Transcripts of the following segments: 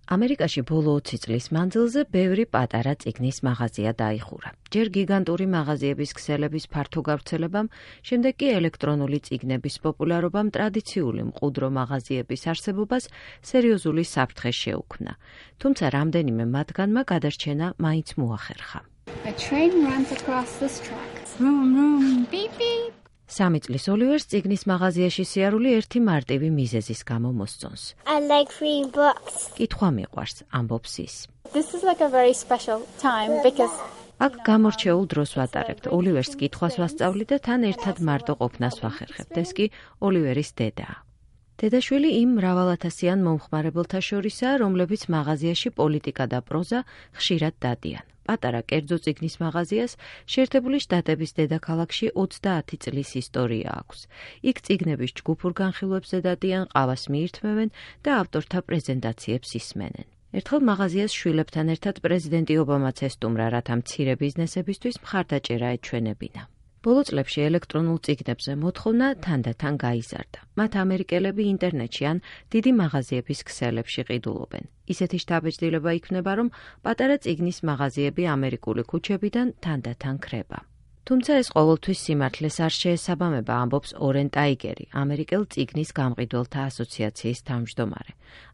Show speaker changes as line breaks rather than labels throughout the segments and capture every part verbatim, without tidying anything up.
ამერიკაში ბოლო ოცი წლის მანძილზე ბევრი პატარა წიგნის მაღაზია დაიხურა. ჯერ გიგანტური მაღაზიების ქსელების ფართო გავრცელებამ, შემდეგ კი ელექტრონული წიგნების პოპულარობამ ტრადიციული მყუდრო მაღაზიების არსებობას სერიოზული საფრთხე შეუქმნა. თუმცა რამდენიმე მათგანმა გადარჩენა მაინც მოახერხა.
A train runs across this track. Vroom, vroom, beep, beep.
სამი წლის ოლივერს წიგნის მაღაზიაში სიარული ერთი მარტივი მიზეზის გამო მოსწონს.
I like reading books.
კითხვა მიყვარს, ამბობს ის.
This is like a very special time because
აქ გამორჩეულ დროს ვატარებთ. ოლივერს კითხვას ვასწავლი და თან ერთად მარტო ყოფნას ვახერხებთ. ეს კი ოლივერის დედაა. დედაშვილი იმ მრავალათასიან მომხმარებელთა შორისაა, რომლებიც მაღაზიაში პოლიტიკა და პროზა ხშირად დადიან. პატარა კერძო წიგნის მაღაზიას შეერთებული შტატების დედაქალაქში ოცდაათი წლის ისტორია აქვს. იქ წიგნების ჯგუფურ განხილვებზე დადიან, ყავას მიირთმევენ და ავტორთა პრეზენტაციებს ისმენენ. ერთხელ მაღაზიას შვილებთან ერთად პრეზიდენტი ობამაც ესტუმრა, რათა მცირე ბიზნესებისთვის მხარდაჭერა ეჩვენებინა. ბოლო წლებში ელექტრონულ წიგნებზე მოთხოვნა თანდათან გაიზარდა. მათ ამერიკელები ინტერნეტში ან დიდი მაღაზიების ქსელებში ყიდულობენ. ისეთი შთაბეჭდილება იქნება, რომ პატარა წიგნის მაღაზიები ამერიკული ქუჩებიდან თანდათან ქრება. თუმცა ეს ყოველთვის სიმართლეს არ შეესაბამება, ამბობს ორენ ტაიგერი, ამერიკელ წიგნის გამყიდველთა ასოციაციის თავმჯდომარე.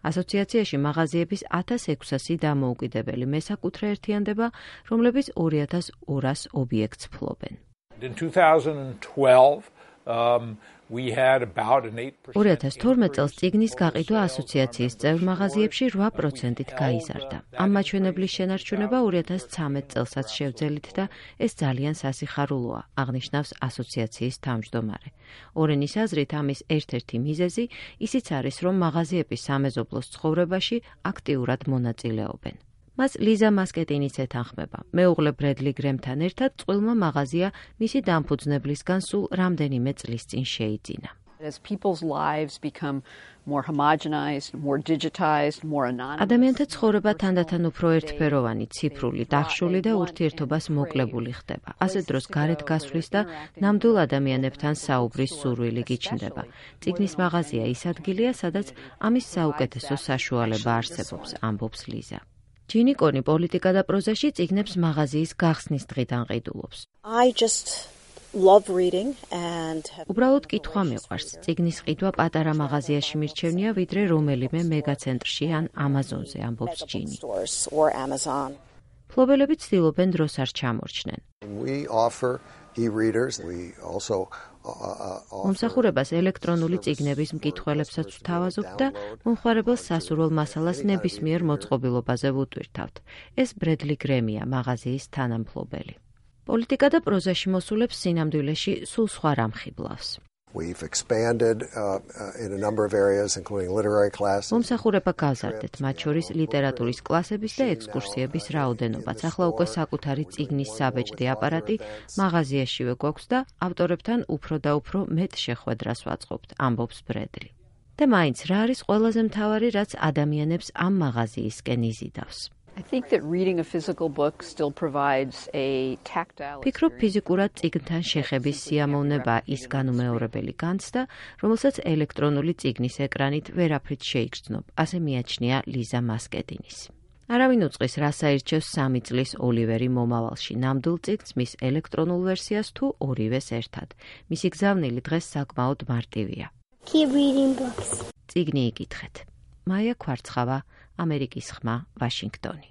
ასოციაციაში მაღაზიების ათას ექვსასი დამოუკიდებელი მესაკუთრე ერთიანდება, რომლებიც ორი ათას ორას ობიექტს ფლობენ.
In two thousand twelve, um, we had about an eight percent.
ორი ათას თორმეტ წელს წიგნის გაყიდვა ასოციაციის წევრ მაღაზიებში რვა პროცენტით გაიზარდა. ამ მაჩვენებლის შენარჩუნება ორი ათას ცხრამეტ წელსაც შევძელით და ეს ძალიან სასიხარულოა, აღნიშნავს ასოციაციის თავმჯდომარე. ორენის აზრით ამის ერთ-ერთი მიზეზი ისიც არის, რომ მაღაზიები სამეზობლოს ცხოვრებაში აქტიურად მონაწილეობენ. მას ლიზა მასკეტინიც ეთანხმება. მეუღლე ბრედლი გრემთან ერთად წყვილმა მაღაზია მისი დამფუძნებლისგან სულ რამდენიმე წლის წინ შეიძინა.
As people's lives become more homogenized, more digitized, more anonymous.
ადამიანთა ცხოვრება თანდათან უფრო ერთფეროვანი, ციფრული, დახშული და ურთიერთობას მოკლებული ხდება. ასე დროს გარეთ გასვლის და ნამდვილ ადამიანებთან საუბრის სურვილი გიჩნდება. წიგნის მაღაზია ის ადგილია, სადაც ამის საუკეთესო საშუალება არსებობს, ამბობს ლიზა. ჯინი კონი პოლიტიკა და პროზაში წიგნებს მაღაზიის გახსნის დღიდან ყიდულობს.
I just love reading and have
უბრალოდ კითხვა მიყვარს. წიგნის ყიდვა პატარა მაღაზიაში მირჩევნია, ვიდრე რომელიმე მეგაცენტრში ან ამაზონზე, ამბობს ჯინი.
or Amazon.
ფლობელები ცდილობენ დროს არ ჩამორჩნენ.
We offer e-readers. We also
მომსახურებას ელექტრონული წიგნების მკითხველებსაც ვთავაზობთ და მომხმარებელს სასურველ მასალას ნებისმიერ მოწყობილობაზე ვუტვირთავთ. ეს ბრედლი გრემია, მაღაზიის თანამფლობელი. პოლიტიკა და პროზაში მოსულებს სინამდვილეში სულ სხვა რამ ხიბლავს.
We've expanded uh, in a number of areas, including literary classes.
მომსახურება გავზარდეთ, მათ შორის ლიტერატურის კლასების და ექსკურსიების რაოდენობაც. ახლა უკვე საკუთარი წიგნის საბეჭდი აპარატი მაღაზიაშივე გვაქვს და ავტორებთან უფრო და უფრო მეტ შეხვედრას ვაწყობთ, ამბობს ბრედლი. და მაინც რა არის ყველაზე მთავარი, რაც ადამიანებს ამ მაღაზიისკენ იზიდავს?
I think that reading a physical book still provides a tactile.
ფიქრობ, ფიზიკურად წიგნთან შეხების სიამოვნება ის განუმეორებელი განცდა, რომელსაც ელექტრონული წიგნის ეკრანით ვერაფრით შეიგრძნობ, ასე მიაჩნია ლიზა მასკეტინის. არავინ უწყის, რას აირჩევს სამი წლის ოლივერი მომავალში, ნამდვილ წიგნს, მის ელექტრონულ ვერსიას თუ ორივეს ერთად. მისი გზავნილი დღეს საკმაოდ მარტივია.
Keep reading books.
წიგნი იკითხეთ. მაია ქვარცხავა, ამერიკის ხმა, ვაშინგტონი.